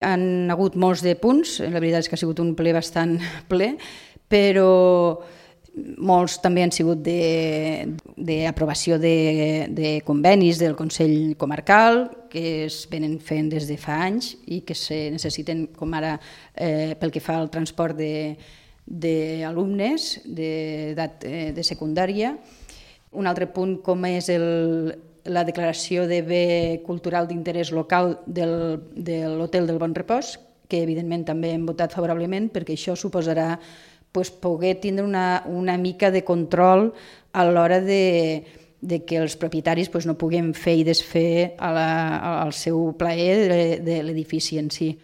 Han hagut molts de punts, la veritat és que ha sigut un ple bastant ple, però molts també han sigut d'aprovació de convenis del Consell Comarcal, que es venen fent des de fa anys i que se necessiten, com ara pel que fa al transport d'alumnes d'edat de secundària. Un altre punt com és la declaració de bé cultural d'interès local de l'Hotel del Bon Repòs, que evidentment també hem votat favorablement perquè això suposarà poder tindre una mica de control a l'hora de que els propietaris no puguin fer i desfer al seu plaer de l'edifici en si.